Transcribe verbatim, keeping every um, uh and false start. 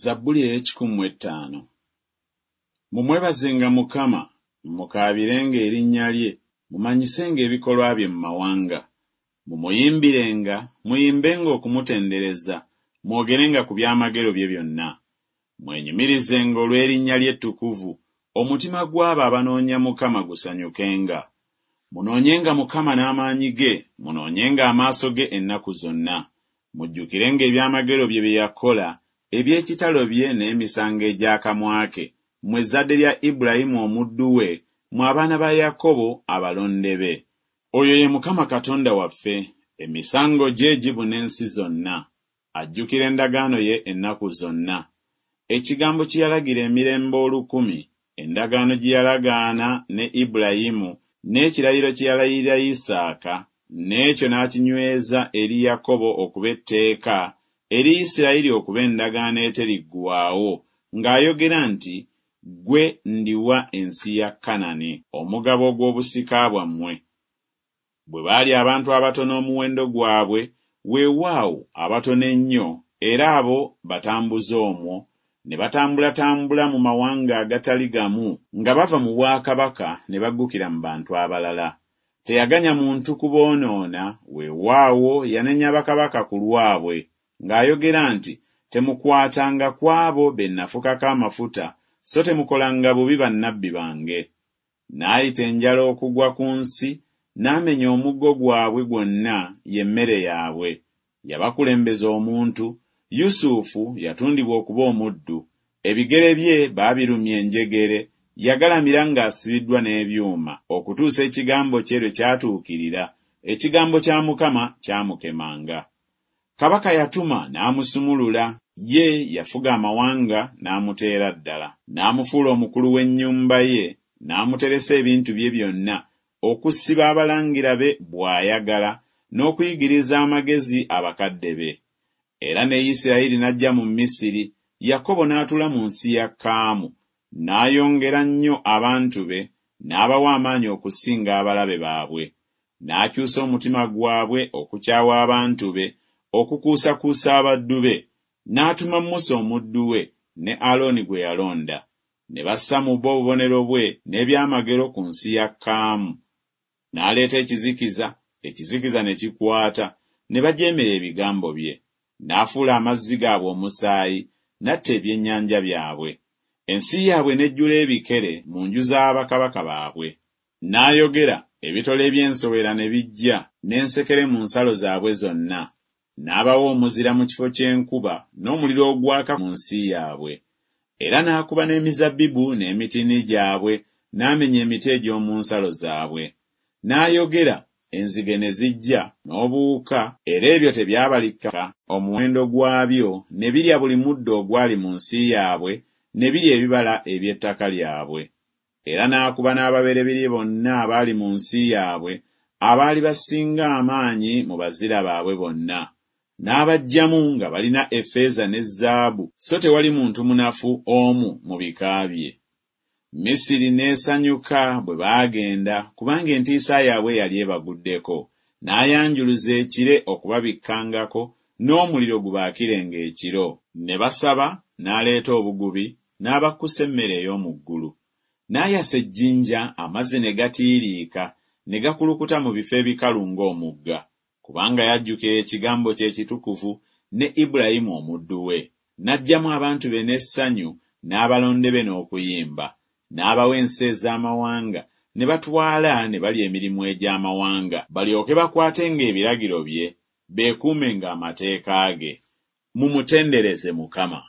Zabbuli ey'ekikumi mu ettaano. Mumwebazenga Mukama, mukaabirenga erinnya lye, mumanyisenga ebikolwa bye mu mawanga. Mumuyimbirenga, muyimbenga okumutendereza, mwogerenga ku byamagero bye byonna. Mwenyumirizenga olw'erinnya lye ettukuvu, omutima gw'abo abanoonya Mukama gusanyukenga. Munoonyenga Mukama n'amaanyi ge, munoonyenga amaaso ge ennaku zonna. Mujjukirenga ebyamagero bye bye yakola, eby'ekitalo bye n'emisango egy'akamwa ke, mmwe ezzadde lya Ibulayimu omuddu we, mmwe abaana ba Yakobo abalonde be. Oyo ye Mukama Katonda waffe, emisango gye gibuna ensi zonna. Ajjukira endagaano ye ennaku zonna. Ekigambo kye yalagira emirembe olukumi, endagaano gye yalagaana ne Ibulayimu, n'ekirayiro kye yalayirira Isaaka, n'ekyo n'akinyweza eri Yakobo okuba etteeka, eri Isirayiri okuba endagaano eteriggwaawo, ng'ayogera nti, Ggwe ndiwa ensi ya Kanani, omugabo ogw'obusika bwammwe. Bwe baali abantu abatono omuwendo gwabwe, weewaawo abatono ennyo, era abo batambuze omwo, ne batambulatambula mu mawanga agatali gamu, nga bava mu bwakabaka ne baggukira mu bantu abalala. Teyaganya muntu kuboonoona, weewaawo yanenya bakabaka ku lwabwe, ng'ayogera nti, Temukwatanga ku abo be nnafukako amafuta, so temukolanga bubi bannabbi bange. N'ayita enjala okugwa ku nsi, n'amenya omuggo gwabwe gwonna, ye mmere yaabwe. Yabakulembeza omuntu, Yusufu yatundibwa okuba omuddu, ebigere bye baabirumya enjegere, yagalamira ng'asibiddwa n'ebyuma, okutuusa ekigambo kye lwe kyatuukirira, ekigambo kya Mukama kyamukemanga. Kabaka yatuma n'amusumulula, ye yafuga amawanga n'amuteera ddala. N'amufuula omukulu w'ennyumba ye, n'amuteresa ebintu bye byonna, okusiba abalangira be bw'ayagala, n'okuyigiriza amagezi abakadde be. Era ne Isirayiri n'ajja mu Misiri, Yakobo n'atuula mu nsi ya Kaamu, n'ayongera nnyo abantu be, n'abawa amaanyi okusinga abalabe baabwe. N'akyusa omutima gwabwe okukyawa abantu be, okukuusakuusa abaddu be. N'atuma Musa omuddu we, ne Alooni gwe yalonda. Ne bassa mu bo obubonero bwe n'ebyamagero ku nsi ya Kaamu. N'aleeta ekizikiza, ekizikiza ne kikwata, ne bajeemera ebigambo bye. N'afuula amazzi gaabwe omusaayi, n'atta ebyennyanja byabwe. Ensi yaabwe n'ejjula ebikere mu nju za bakabaka baabwe. N'ayogera, ebitole eby'ensowera ne bijja, n'ensekere mu nsalo zaabwe zonna. N'abawa omuzira mu kifo ky'enkuba, n'omuliro ogwaka mu nsi yaabwe. Era n'akuba n'emizabbibu n'emitiini gyabwe, n'amenya emiti egy'omu nsalo zaabwe. N'ayogera, enzige ne zijja, n'obuwuka, era ebyo tebyabalika omuwendo gwabyo, ne birya buli muddo ogwali mu nsi yaabwe, ne birya ebibala eby'ettaka lyabwe. Era n'akuba n'ababereberye bonna abaali mu nsi yaabwe, abaali basinga amaanyi mu bazira baabwe bonna. N'abaggyamu nga balina effeeza ne zaabu, so tewali muntu munafu omu mu bika bye. Misiri n'esanyuka bwe baagenda, kubanga entiisa yaabwe yali ebaguddeko. N'ayanjuluza ekire okubabikkangako, n'omuliro gubaakirenga ekiro. Ne basaba, n'aleeta obugubi, n'abakkusa emmere ey'omu ggulu. N'ayasa ejjinja, amazzi ne gatiiriika, ne gakulukuta mu bifo ebikalu ng'omugga. Kubanga yajjukira ekigambo kye ekitukuvu ne Ibulayimu omuddu we. N'aggyamu abantu be n'essanyu, n'abalonde be n'okuyimba. N'abawa ensi ez'amawanga, ne batwala ne balya emirimu egy'amawanga, balyoke bakwatenga ebiragiro bye, beekuumenga amateeka ge. Mumutendereze Mukama.